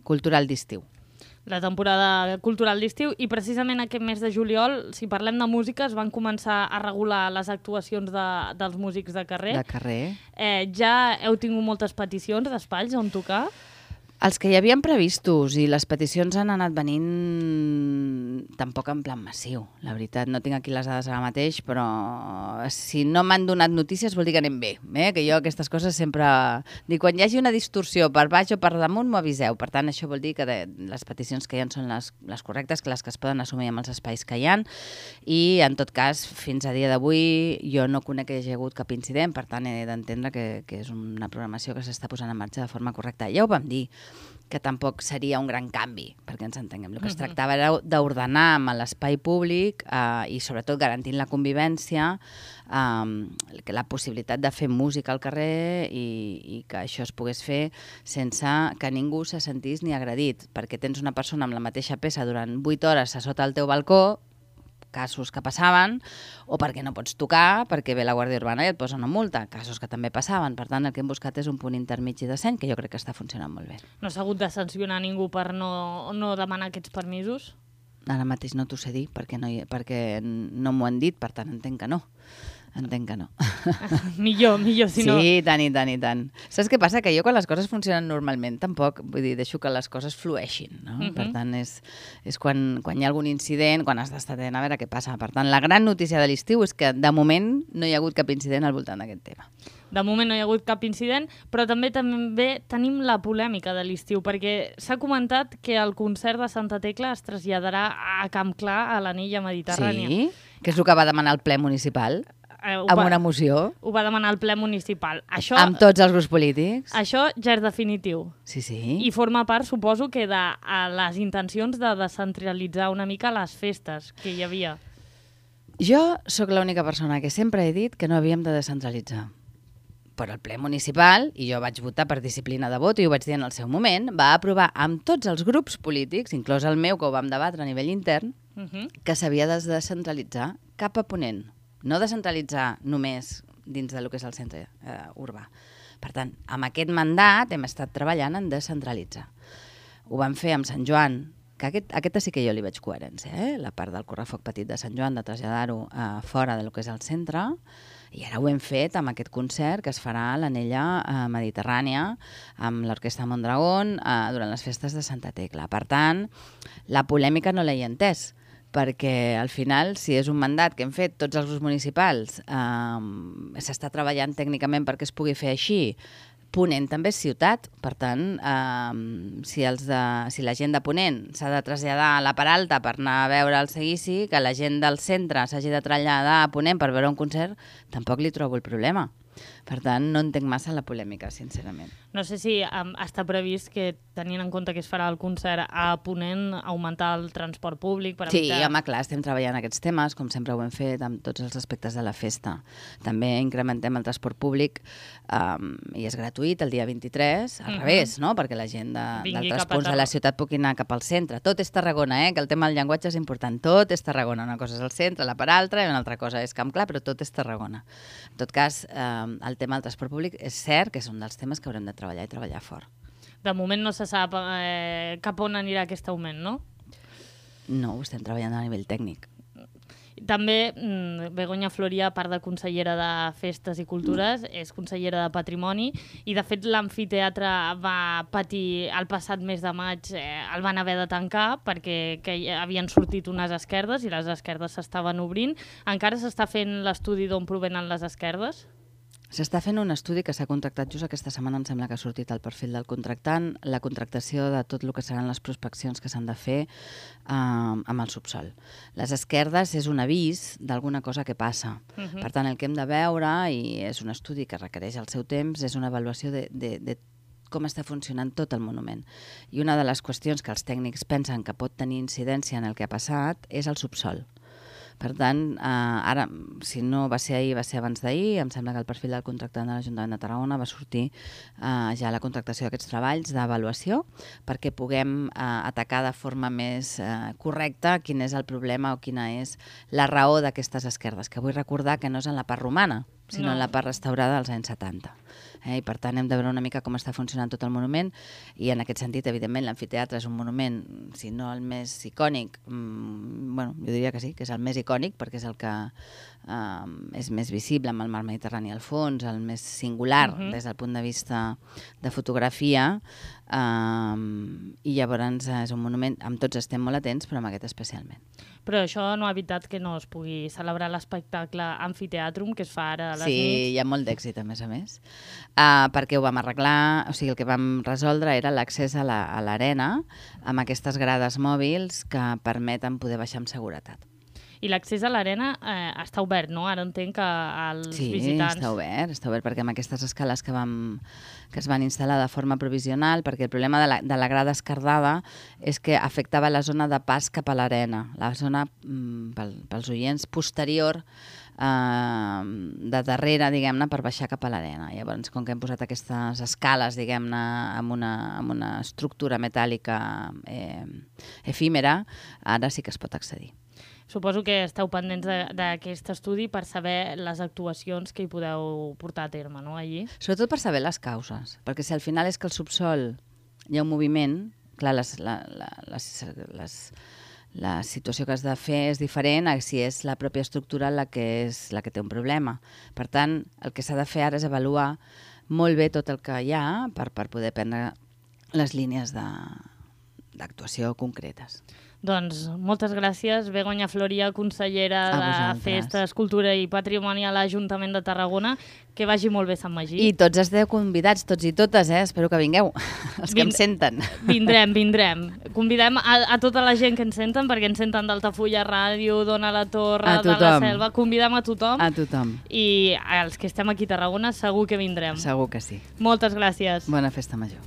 Speaker 11: cultural d'estiu.
Speaker 2: La temporada cultural d'estiu, i precisament aquest mes de juliol, si parlem de música, es van començar a regular les actuacions dels músics de carrer.
Speaker 11: De carrer.
Speaker 2: Ja heu tingut moltes peticions d'espais on tocar?
Speaker 11: Els que hi havien previstos i les peticions han anat venint tampoc en plan massiu, la veritat. No tinc aquí les dades ara mateix, però si no m'han donat notícies vol dir que anem bé. Que jo aquestes coses sempre... Dic, quan hi hagi una distorsió per baix o per damunt m'ho aviseu. Per tant, això vol dir que les peticions que hi ha són les correctes, que les que es poden assumir amb els espais que hi ha. I, en tot cas, fins a dia d'avui jo no conec que hi hagi hagut cap incident, per tant he d'entendre que és una programació que s'està posant en marxa de forma correcta. Ja ho vam dir, que tampoc seria un gran canvi, perquè ens entenguem. El que es tractava era d'ordenar amb l'espai públic i sobretot garantint la convivència, la possibilitat de fer música al carrer i que això es pogués fer sense que ningú se sentís ni agredit, perquè tens una persona amb la mateixa peça durant 8 hores a sota el teu balcó, casos que passaven, o perquè no pots tocar, perquè ve la Guàrdia Urbana i et posa una multa, casos que també passaven. Per tant, el que hem buscat és un punt intermig i decent, que jo crec que està funcionant molt bé.
Speaker 2: No s'ha hagut de sancionar ningú per no demanar aquests permisos?
Speaker 11: Ara mateix no t'ho sé dir, perquè no m'ho han dit, per tant entenc que no. Entenc que no.
Speaker 2: millor, si no...
Speaker 11: Sí, i tant. Saps què passa? Que jo quan les coses funcionen normalment tampoc, vull dir, deixo que les coses flueixin, no? Per tant, és quan hi ha algun incident, quan has d'estar atent a veure què passa. Per tant, la gran notícia de l'estiu és que de moment no hi ha hagut cap incident al voltant d'aquest tema.
Speaker 2: De moment no hi ha hagut cap incident, però també tenim la polèmica de l'estiu, perquè s'ha comentat que el concert de Santa Tecla es traslladarà a Camp Clar, a l'Anella Mediterrània.
Speaker 11: Sí? Que és el que va demanar el ple municipal? Amb una moció?
Speaker 2: Ho va demanar el ple municipal.
Speaker 11: Amb tots els grups polítics?
Speaker 2: Això ja és definitiu.
Speaker 11: Sí.
Speaker 2: I forma part, suposo, que de les intencions de descentralitzar una mica les festes que hi havia.
Speaker 11: Jo sóc l'única persona que sempre he dit que no havíem de descentralitzar. Però el ple municipal, i jo vaig votar per disciplina de vot i ho vaig dir en el seu moment, va aprovar amb tots els grups polítics, inclòs el meu, que ho vam debatre a nivell intern, que s'havia de descentralitzar cap a Ponent. No descentralitzar només dins del que és el centre urbà. Per tant, amb aquest mandat hem estat treballant en descentralitzar. Ho vam fer amb Sant Joan, que aquesta sí que jo li veig coherència, la part del correfoc petit de Sant Joan, de traslladar-ho fora del que és el centre, i ara ho hem fet amb aquest concert que es farà a l'Anella Mediterrània amb l'Orquestra Mondragón durant les festes de Santa Tecla. Per tant, la polèmica no l'he entès, perquè al final, si és un mandat que hem fet tots els grups municipals, s'està treballant tècnicament perquè es pugui fer així. Ponent també és ciutat, per tant, si la gent de Ponent s'ha de traslladar a la Peralta per anar a veure el seguici, que la gent del centre s'hagi de traslladar a Ponent per veure un concert, tampoc li trobo el problema. Per tant, no entenc massa la polèmica, sincerament.
Speaker 2: No sé si està previst que, tenint en compte que es farà el concert a Ponent, augmentar el transport públic per evitar...
Speaker 11: Sí, home, clar, estem treballant aquests temes, com sempre ho hem fet amb tots els aspectes de la festa. També incrementem el transport públic i és gratuït el dia 23, al revés, no? Perquè la gent d'altres punts de la ciutat pugui anar cap al centre. Tot és Tarragona, que el tema del llenguatge és important. Tot és Tarragona. Una cosa és el centre, la part altra, i una altra cosa és Camp Clar, però tot és Tarragona. En tot cas, el tema del transport públic és cert que és un dels temes que haurem de treballar i treballar fort.
Speaker 2: De moment no se sap cap on anirà aquest augment, no?
Speaker 11: No, ho estem treballant a nivell tècnic.
Speaker 2: També Begoña Floria, a part de consellera de Festes i Cultures, és consellera de Patrimoni i, de fet, l'amfiteatre va patir el passat mes de maig, el van haver de tancar perquè havien sortit unes esquerdes i les esquerdes s'estaven obrint. Encara s'està fent l'estudi d'on provenen les esquerdes?
Speaker 11: S'està fent un estudi que s'ha contractat just aquesta setmana, em sembla que ha sortit el perfil del contractant, la contractació de tot el que seran les prospeccions que s'han de fer amb el subsol. Les esquerdes és un avís d'alguna cosa que passa. Per tant, el que hem de veure, i és un estudi que requereix el seu temps, és una avaluació de com està funcionant tot el monument. I una de les qüestions que els tècnics pensen que pot tenir incidència en el que ha passat és el subsol. Per tant, ara, si no va ser ahir, va ser abans d'ahir, em sembla que el perfil del contractant de l'Ajuntament de Tarragona va sortir ja la contractació d'aquests treballs d'avaluació perquè puguem atacar de forma més correcta quin és el problema o quina és la raó d'aquestes esquerdes, que vull recordar que no és en la part romana, sinó en la part restaurada dels anys 70. I per tant hem de veure una mica com està funcionant tot el monument i en aquest sentit, evidentment, l'amfiteatre és un monument, si no el més icònic, jo diria que sí, que és el més icònic perquè és el que és més visible amb el mar Mediterrani al fons, el més singular des del punt de vista de fotografia, i llavors és un monument, amb tots estem molt atents, però amb aquest especialment.
Speaker 2: Però això no ha evitat que no es pugui celebrar l'espectacle Amfiteatrum, que es fa ara a les nits.
Speaker 11: Sí, hi ha molt d'èxit, a més, perquè ho vam arreglar, o sigui, el que vam resoldre era l'accés a l'arena amb aquestes grades mòbils que permeten poder baixar amb seguretat.
Speaker 2: I l'accés a l'arena està obert, no? Ara entenc que els visitants...
Speaker 11: Sí, està obert, perquè amb aquestes escales que es van instal·lar de forma provisional, perquè el problema de la grada esquerdada és que afectava la zona de pas cap a l'arena, la zona, pels oients, posterior de darrere, diguem-ne, per baixar cap a l'arena. Llavors, com que hem posat aquestes escales, diguem-ne, amb una estructura metàl·lica efímera, ara sí que es pot accedir.
Speaker 2: Suposo que esteu pendents d'aquest estudi per saber les actuacions que hi podeu portar a terme, no, allí?
Speaker 11: Sobretot per saber les causes, perquè si al final és que al subsol hi ha un moviment, clar, la situació que has de fer és diferent a si és la pròpia estructura la que té un problema. Per tant, el que s'ha de fer ara és avaluar molt bé tot el que hi ha per poder prendre les línies d'actuació concretes.
Speaker 2: Doncs moltes gràcies, Begoña Floria, consellera de Festes, Cultura i Patrimoni a l'Ajuntament de Tarragona. Que vagi molt bé Sant Magí.
Speaker 11: I tots esteu convidats, tots i totes, espero que vingueu, els que em senten.
Speaker 2: Vindrem. Convidem a tota la gent que ens senten, perquè ens senten d'Altafulla Ràdio, d'Ona la Torre, de la Selva. Convidem a tothom.
Speaker 11: A tothom.
Speaker 2: I els que estem aquí a Tarragona segur que vindrem.
Speaker 11: Segur que sí.
Speaker 2: Moltes gràcies.
Speaker 11: Bona festa major.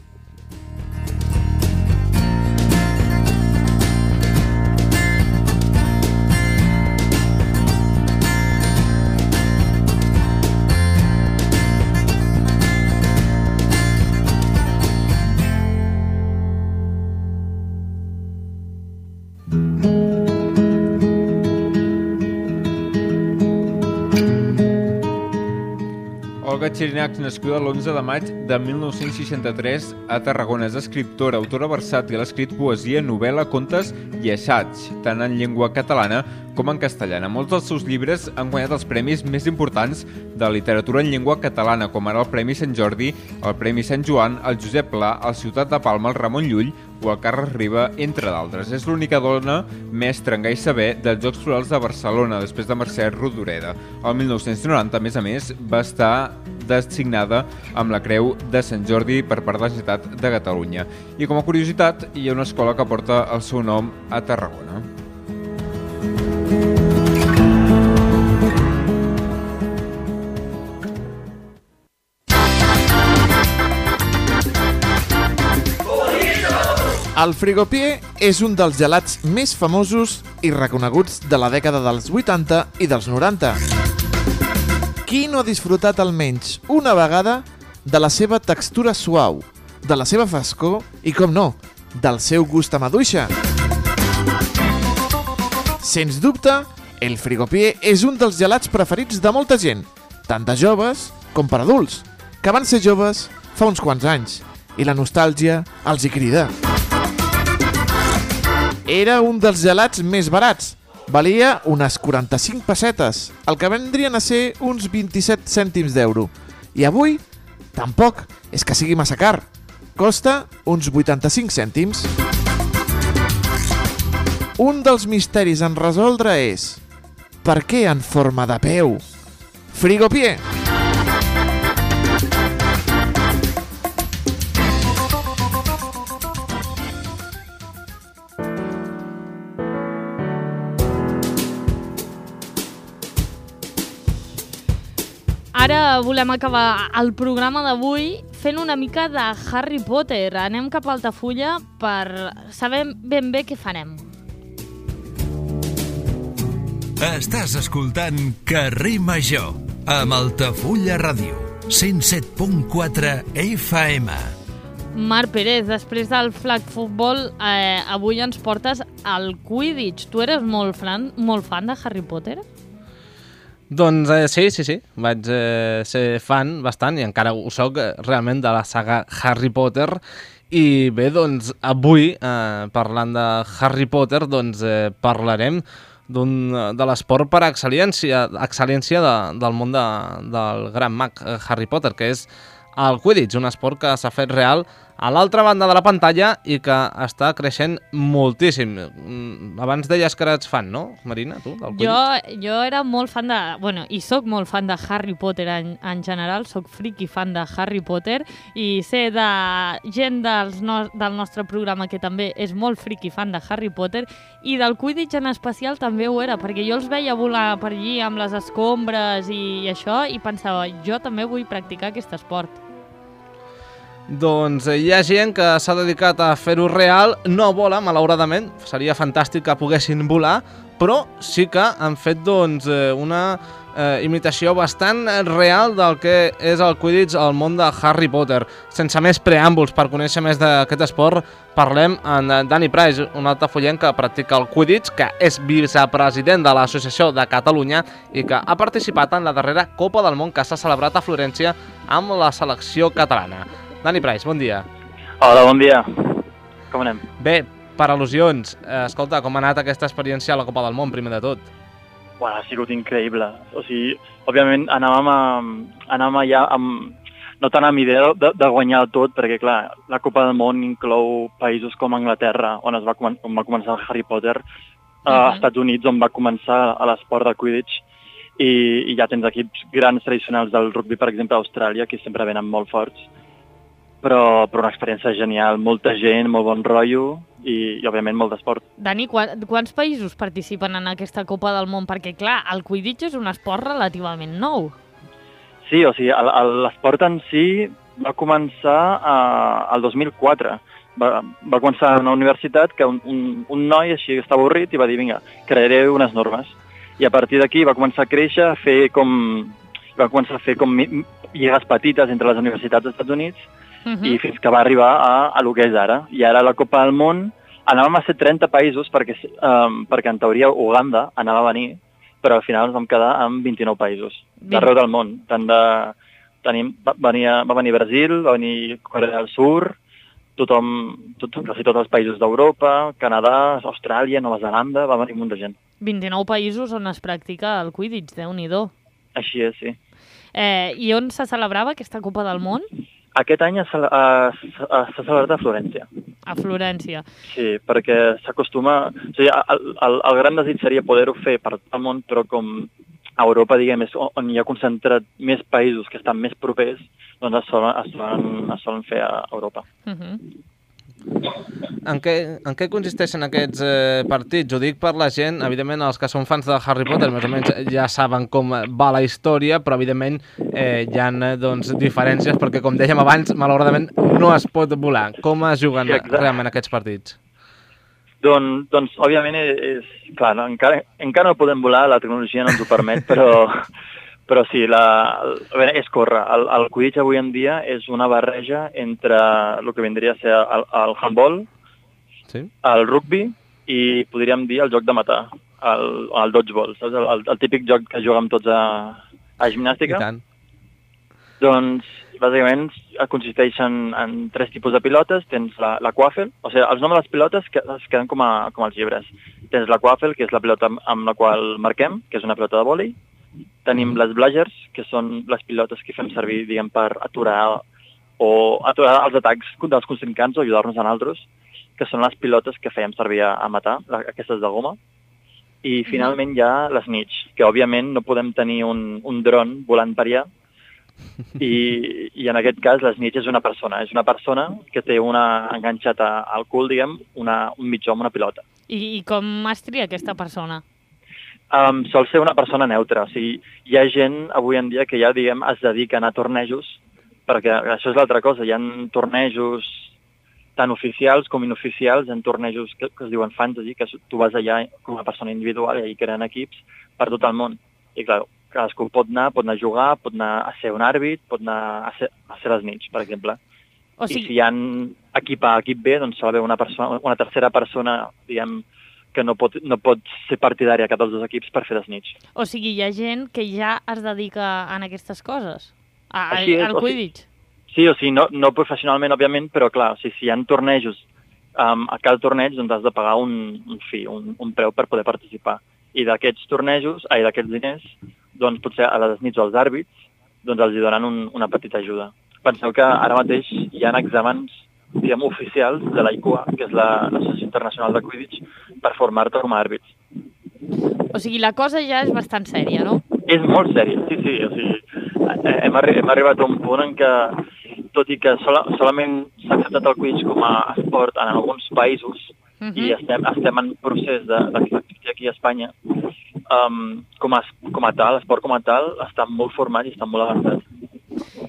Speaker 12: Olga Xirinacs, nascuda l'11 de maig de 1963 a Tarragona. És escriptora, autora versàtil, ha escrit poesia, novel·la, contes i assaig, tant en llengua catalana com en castellana. Molts dels seus llibres han guanyat els premis més importants de literatura en llengua catalana, com ara el Premi Sant Jordi, el Premi Sant Joan, el Josep Pla, el Ciutat de Palma, el Ramon Llull o el Carles Riba, entre d'altres. És l'única dona mestra en gai saber dels Jocs Florals de Barcelona, després de Mercè Rodoreda. El 1990, a més, va estar designada amb la Creu de Sant Jordi per part de la Generalitat de Catalunya. I com a curiositat, hi ha una escola que porta el seu nom a Tarragona.
Speaker 13: El Frigopié és un dels gelats més famosos i reconeguts de la dècada dels 80 i dels 90. Qui no ha disfrutat almenys una vegada de la seva textura suau, de la seva frescor i, com no, del seu gust a maduixa? Sens dubte, el Frigopié és un dels gelats preferits de molta gent, tant de joves com per adults, que van ser joves fa uns quants anys, i la nostàlgia els hi crida. Era un dels gelats més barats. Valia unes 45 pessetes, el que vendrien a ser uns 27 cèntims d'euro. I avui, tampoc és que sigui massa car. Costa uns 85 cèntims. Un dels misteris en resoldre és: per què en forma de peu? Frigopié!
Speaker 2: Ara volem acabar el programa d'avui fent una mica de Harry Potter. Anem cap a Altafulla per saber ben bé què farem.
Speaker 1: Estàs escoltant Carrer Major amb Altafulla Ràdio, 107.4 FM.
Speaker 2: Marc Pérez, després del flag futbol, avui ens portes al Quidditch. Tu eres molt fan de Harry Potter?
Speaker 3: Doncs sí. Vaig ser fan bastant i encara ho soc realment de la saga Harry Potter. I bé, doncs avui, parlant de Harry Potter, doncs parlarem de l'esport per excel·lència del món del gran mag Harry Potter, que és el Quidditch, un esport que s'ha fet real a l'altra banda de la pantalla i que està creixent moltíssim. Abans deies que eres fan, no, Marina, tu, del Quidditch?
Speaker 2: Jo era molt fan de... Bueno, i soc molt fan de Harry Potter en general, soc friki fan de Harry Potter i sé de gent del nostre programa que també és molt friki fan de Harry Potter i del Quidditch en especial també ho era, perquè jo els veia volar per allí amb les escombres i això i pensava, jo també vull practicar aquest esport.
Speaker 3: Doncs hi ha gent que s'ha dedicat a fer-ho real, no vola, malauradament, seria fantàstic que poguessin volar, però sí que han fet una imitació bastant real del que és el Quidditch al món de Harry Potter. Sense més preàmbuls, per conèixer més d'aquest esport, parlem amb Dani Price, un altafollenc que practica el Quidditch, que és vicepresident de l'Associació de Catalunya i que ha participat en la darrera Copa del Món que s'ha celebrat a Florència amb la selecció catalana. Dani Price, bon dia.
Speaker 14: Hola, bon dia. Com anem?
Speaker 3: Bé, per al·lusions, escolta, com ha anat aquesta experiència a la Copa del Món, primer de tot?
Speaker 14: Bueno, ha sigut increïble. O sigui, òbviament anàvem ja no tant amb idea de guanyar tot, perquè clar, la Copa del Món inclou països com Anglaterra, on va començar el Harry Potter, als Estats Units, on va començar l'esport del Quidditch, i ja tens equips grans tradicionals del rugby, per exemple, a Austràlia, que sempre venen molt forts. Però una experiència genial, molta gent, molt bon rotllo i òbviament molt d'esport.
Speaker 2: Dani, quants països participen en aquesta Copa del Món? Perquè clar, el Quidditch és un esport relativament nou.
Speaker 14: Sí, o sigui, l'esport en si va començar el 2004. Va començar a una universitat que un noi així estava avorrit i va dir, vinga, crearé unes normes. I a partir d'aquí va començar a créixer, va començar a fer com lligues petites entre les universitats dels Estats Units i fins que va arribar a lo que és ara. I ara la Copa del Món anàvem a ser 30 països perquè en teoria Uganda anava a venir, però al final ens vam quedar amb 29 països d'arreu del món. Va venir Brasil, va venir Corea del Sur, quasi tots els països d'Europa, Canadà, Austràlia, Nova Zelanda, va venir un munt de gent.
Speaker 2: 29 països on es practica el Quidditch, Déu-n'hi-do.
Speaker 14: Així és, sí.
Speaker 2: I on se celebrava aquesta Copa del Món?
Speaker 14: Aquest any s'ha celebrat a Florència.
Speaker 2: A Florència.
Speaker 14: Sí, perquè s'acostuma... O sigui, el gran desig seria poder-ho fer per tot el món, però com a Europa, diguem, és on hi ha concentrat més països que estan més propers, doncs es solen fer a Europa.
Speaker 3: En què consisteixen aquests partits? Ho dic per la gent, evidentment els que són fans de Harry Potter més o menys ja saben com va la història, però evidentment hi ha diferències perquè, com dèiem abans, malauradament no es pot volar. Com es juguen realment aquests partits?
Speaker 14: Doncs òbviament, clar, encara no podem volar, la tecnologia no ens ho permet, però sí, és córrer. El Quidditch avui en dia és una barreja entre el que vindria a ser el handball, el rugby i podríem dir el joc de matar, el dodgeball, saps? El típic joc que juguem tots a gimnàstica.
Speaker 3: I tant.
Speaker 14: Doncs, bàsicament, consisteixen en 3 tipus de pilotes. Tens la quaffle, o sigui, els noms de les pilotes es queden com els llibres. Tens la quaffle, que és la pilota amb la qual marquem, que és una pilota de vòlei. Tenim les blagers, que són les pilotes que fem servir, diguem, per aturar els atacs dels contrincants o ajudar-nos a nosaltres, que són les pilotes que fèiem servir a matar, aquestes de goma. I finalment hi ha les snitch, que òbviament no podem tenir un dron volant per allà, i en aquest cas la snitch és una persona que té enganxat al cul, diguem, un mitjó amb una pilota.
Speaker 2: I com es tria aquesta persona?
Speaker 14: Sol ser una persona neutra, o sigui, hi ha gent avui en dia que ja, diguem, es dediquen a tornejos, perquè això és l'altra cosa, hi ha tornejos tant oficials com inoficials, en tornejos que es diuen fantasy, que tu vas allà com a persona individual i allà creen equips per tot el món. I clar, cadascú pot anar a jugar, pot anar a ser un àrbit, pot anar a ser les nits, per exemple. I si hi ha equip A, equip B, doncs s'ha d'haver una tercera persona, diguem, que no pot ser partidària a cap dels dos equips per fer les nits.
Speaker 2: O sigui, hi ha gent que ja es dedica a aquestes coses? Al Quidditch?
Speaker 14: Sí, o sigui, no professionalment, òbviament, però clar, si hi ha tornejos, a cada torneig doncs has de pagar un preu per poder participar. I d'aquests tornejos, d'aquests diners, doncs potser a les nits als àrbits, doncs els hi donen una petita ajuda. Penseu que ara mateix hi ha exàmens, diguem, oficials de l'AICUA, que és l'Associació Internacional de Quidditch, per formar-te com a àrbits.
Speaker 2: O sigui, la cosa ja és bastant sèria, no?
Speaker 14: És molt sèria, sí. O sigui, hem arribat a un punt en què, tot i que solament s'ha acceptat el Quidditch com a esport en alguns països, i estem en procés d'acceptar aquí a Espanya, com a tal, l'esport com a tal, està molt format i està molt avançat.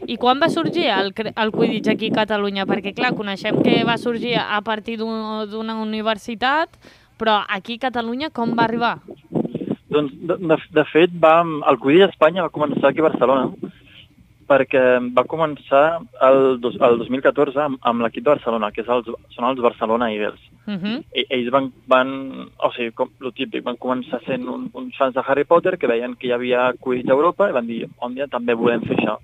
Speaker 2: I quan va sorgir el Quidditch aquí a Catalunya? Perquè, clar, coneixem que va sorgir a partir d'una universitat, però aquí a Catalunya com va arribar?
Speaker 14: Doncs, de fet, el Quidditch a Espanya va començar aquí a Barcelona, perquè va començar el 2014 amb l'equip de Barcelona, que són els Barcelona Eagles. Ells o sigui, com el típic, van començar sent uns fans de Harry Potter que veien que hi havia Quidditch a Europa i van dir, un dia també volem fer això.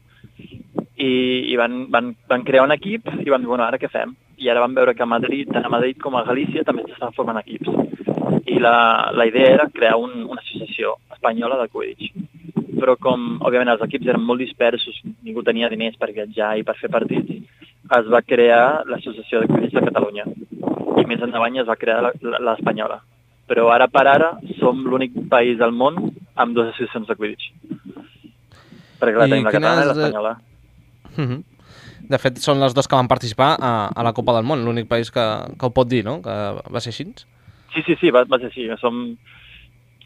Speaker 14: I van crear un equip i van dir, bueno, ara què fem? I ara van veure que tant a Madrid com a Galícia també s'estaven formant equips. I la idea era crear una associació espanyola de Quidditch. Però com, òbviament, els equips eren molt dispersos, ningú tenia diners per viatjar i per fer partits, es va crear l'Associació de Quidditch de Catalunya. I més endavant es va crear l'espanyola. Però ara per ara som l'únic país del món amb dues associacions de Quidditch. Perquè la tenim la catalana i l'espanyola.
Speaker 3: De fet, són les dues que van participar a la Copa del Món, l'únic país que ho pot dir, no? Que va ser així?
Speaker 14: Sí, va ser així.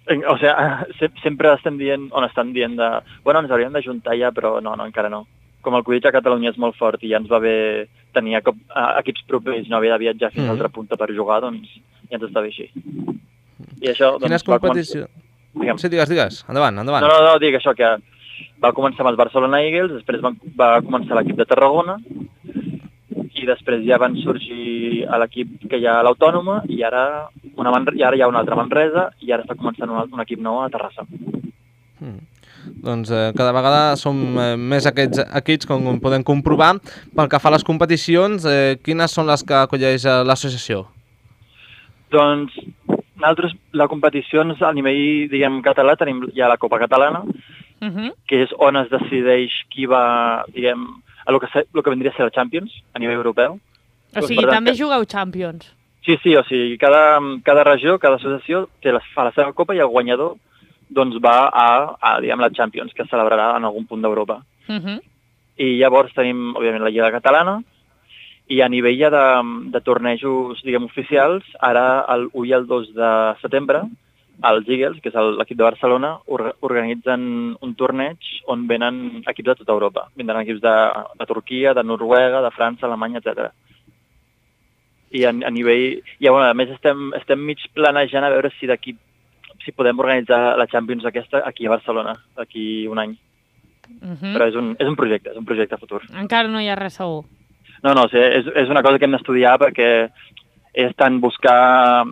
Speaker 14: O sigui, sempre estan dient bueno, ens hauríem d'ajuntar ja, però no, encara no. Com el Quidditch a Catalunya és molt fort i ja ens va bé tenir equips propers, no haver de viatjar fins a l'altra punta per jugar, doncs ja ens està bé així. I això, doncs,
Speaker 3: quines competicions? Sí, digues. Endavant.
Speaker 14: No, dic això, que va començar amb els Barcelona Eagles, després va començar l'equip de Tarragona, i després ja van sorgir a l'equip que hi ha a l'Autònoma, i ara hi ha una altra Manresa, i ara està començant un equip nou a Terrassa.
Speaker 3: Doncs cada vegada som més aquests equips, com podem comprovar. Pel que fa a les competicions, quines són les que acolleix l'associació?
Speaker 14: Doncs nosaltres, la competició a nivell, diguem, català, tenim ja la Copa Catalana, que és on es decideix qui va, diguem, el que vendria a ser la Champions a nivell europeu.
Speaker 2: O sigui, també jugueu Champions.
Speaker 14: Sí, o sigui, cada regió, cada associació fa la seva copa i el guanyador doncs va a diguem, la Champions, que es celebrarà en algun punt d'Europa. I llavors tenim, òbviament, la Lliga Catalana, i a nivell ja de tornejos, diguem, oficials, ara el 1 i el 2 de setembre, els Eagles, que és l'equip de Barcelona, organitzen un torneig on venen equips de tota Europa. Vindran equips de Turquia, de Noruega, de França, Alemanya, etc. I a nivell... a més, estem mig planejant a veure si podem organitzar la Champions aquesta aquí a Barcelona, d'aquí un any. Però és un projecte futur.
Speaker 2: Encara no hi ha res segur.
Speaker 14: No, és una cosa que hem d'estudiar perquè és tant buscar...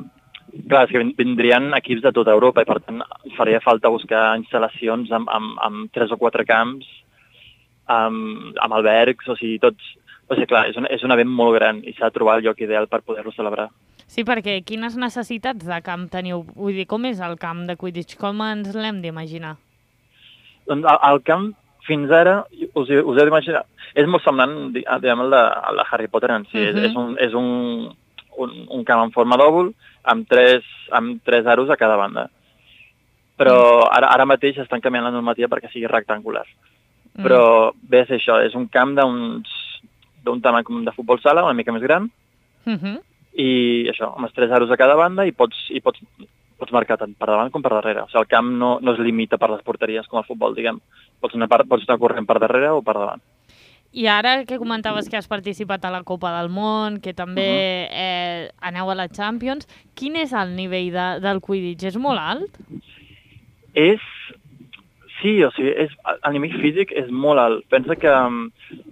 Speaker 14: Clar, és que vindrien equips de tota Europa i per tant faria falta buscar instal·lacions amb 3 o 4 camps, amb albergs, o sigui, tots... O sigui, clar, és un event molt gran i s'ha de trobar el lloc ideal per poder-lo celebrar.
Speaker 2: Sí, perquè quines necessitats de camp teniu? Vull dir, com és el camp de Quidditch? Com ens l'hem d'imaginar?
Speaker 14: Doncs el camp, fins ara, us heu d'imaginar, és molt semblant, diguem, al de Harry Potter en si. És un camp en forma d'òvul amb tres aros a cada banda. Però ara mateix estan canviant la normativa perquè sigui rectangular. Però bé, és això, és un camp d'un tamany com de futbol sala, una mica més gran, i això, amb els 3 aros a cada banda i pots marcar tant per davant com per darrere. O sigui, el camp no es limita per les porteries com el futbol, diguem. Pots anar corrent per darrere o per davant.
Speaker 2: I ara que comentaves que has participat a la Copa del Món, que també aneu a la Champions, quin és el nivell del Quidditch? És molt alt?
Speaker 14: Sí, o sigui, a nivell físic és molt alt. Pensa que,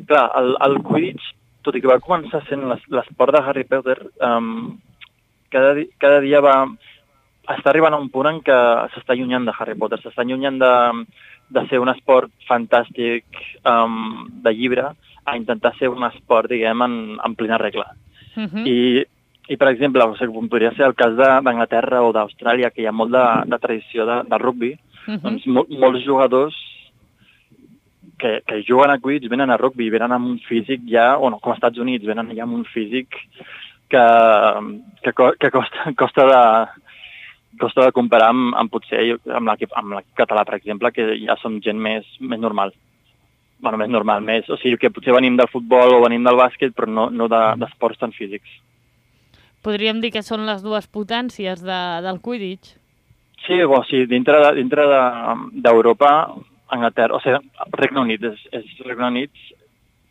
Speaker 14: clar, el Quidditch, tot i que va començar sent l'esport de Harry Potter, cada dia està arribant a un punt en què s'està allunyant de Harry Potter, s'està allunyant de ser un esport fantàstic de llibre a intentar ser un esport, diguem, en plena regla. I I, per exemple, o sigui, com podria ser el cas d'Anglaterra o d'Austràlia, que hi ha molt de tradició del rugbi, doncs molts jugadors que juguen a Quidditch venen a rugbi, venen amb un físic ja, o no, com als Estats Units, venen ja amb un físic que costa de comparar amb potser amb l'equip català, per exemple, que ja som gent més normal. Bueno, més normal, o sigui que potser venim del futbol o venim del bàsquet, però no d'esports tan físics.
Speaker 2: Podríem dir que són les dues potències del Quidditch?
Speaker 14: Sí, dintre d'Europa, Anglaterra, o sigui, Regne Unit, Regne Unit,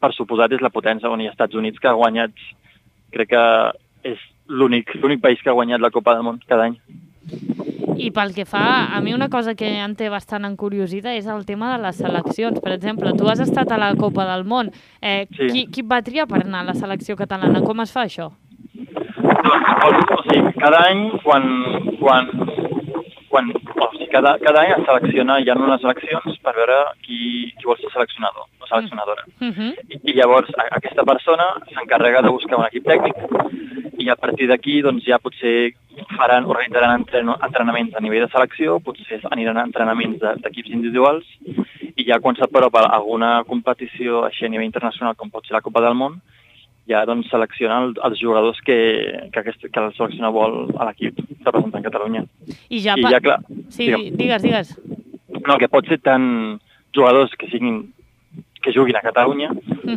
Speaker 14: per suposat, és la potència, on hi ha Estats Units que ha guanyat, crec que és l'únic país que ha guanyat la Copa del Món cada any.
Speaker 2: I pel que fa, a mi una cosa que em té bastant encuriosida és el tema de les seleccions. Per exemple, tu has estat a la Copa del Món. Sí. Qui et va triar per anar a la selecció catalana? Com es fa això?
Speaker 14: O sigui, cada any, cada any es selecciona, hi ha unes eleccions per veure qui vol ser seleccionador o seleccionadora. I llavors aquesta persona s'encarrega de buscar un equip tècnic i a partir d'aquí doncs, ja potser organitzaran entrenaments a nivell de selecció, potser aniran a entrenaments d'equips individuals i ja quan s'apropa alguna competició així a nivell internacional com pot ser la Copa del Món, ja doncs seleccionen els jugadors que el seleccionador vol a l'equip representant Catalunya.
Speaker 2: I ja
Speaker 14: clar,
Speaker 2: sí, digues.
Speaker 14: No, que pot ser tant jugadors que juguin a Catalunya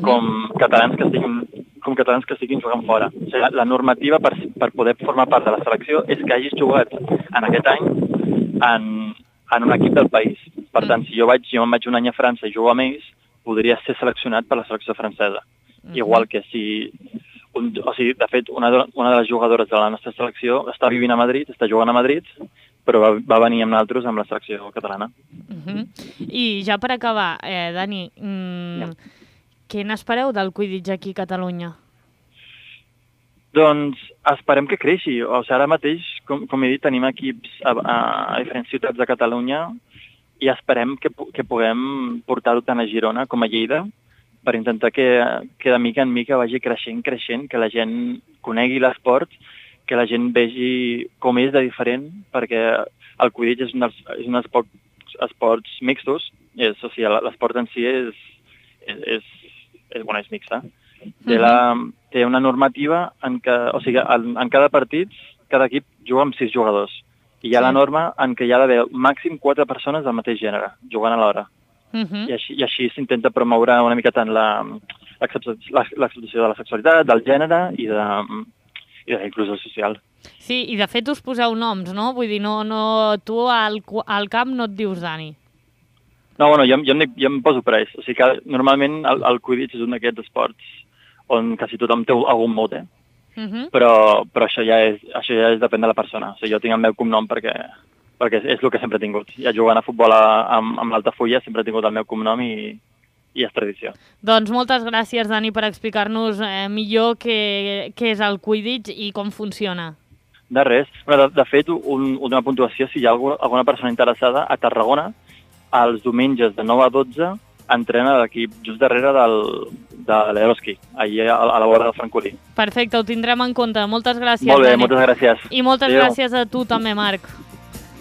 Speaker 14: com catalans que estiguin jugant fora. O sigui, la normativa per poder formar part de la selecció és que hagis jugat en aquest any en un equip del país. Per tant, si jo me'n vaig un any a França i jugo amb ells, podria ser seleccionat per la selecció francesa. Igual que si... de fet, una de les jugadores de la nostra selecció està vivint a Madrid, està jugant a Madrid, però va venir amb nosaltres amb la selecció catalana.
Speaker 2: I ja per acabar, Dani, què n'espereu del Quidditch aquí a Catalunya?
Speaker 14: Doncs esperem que creixi. O sigui, ara mateix, com he dit, tenim equips a diferents ciutats de Catalunya i esperem que puguem portar-ho tant a Girona com a Lleida per intentar que de mica en mica vagi creixent, que la gent conegui l'esport, que la gent vegi com és de diferent, perquè el Quidditch és un dels pocs esports mixtos, o sigui, l'esport en si és mixta. Té una normativa en què, o sigui, en cada partit, cada equip juga amb 6 jugadors. I hi ha la norma en què hi ha d'haver màxim 4 persones del mateix gènere, jugant alhora. I així s'intenta promoure una mica tant l'acceptació de la sexualitat, del gènere i de la inclusió social.
Speaker 2: Sí, i de fet us poseu noms, no? Vull dir, tu al camp no et dius Dani.
Speaker 14: No, bueno, jo em poso per ells. O sigui que normalment el Quidditch és un d'aquests esports on quasi tothom té algun mote, però això ja depèn de la persona. O sigui, jo tinc el meu cognom perquè és el que sempre he tingut. Ja jugant a futbol amb l'Altafulla sempre he tingut el meu cognom i és tradició.
Speaker 2: Doncs moltes gràcies, Dani, per explicar-nos millor què és el Quidditch i com funciona.
Speaker 14: De res. De fet, una puntuació, si hi ha alguna persona interessada, a Tarragona, els diumenges de 9 a 12, entrena l'equip just darrere de l'Eroski, allà a la vora del Francolí.
Speaker 2: Perfecte, ho tindrem en compte. Moltes gràcies,
Speaker 14: Dani. Molt bé,
Speaker 2: Dani.
Speaker 14: moltes gràcies.
Speaker 2: I moltes gràcies a tu també, Marc.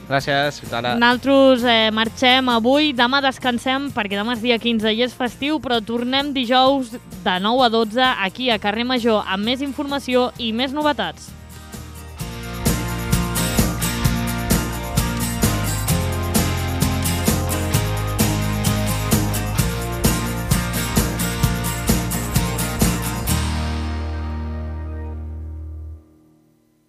Speaker 3: Gràcies, Tara.
Speaker 2: Nosaltres marxem avui, demà descansem perquè demà és dia 15 i és festiu, però tornem dijous de 9 a 12 aquí a Carrer Major amb més informació i més novetats.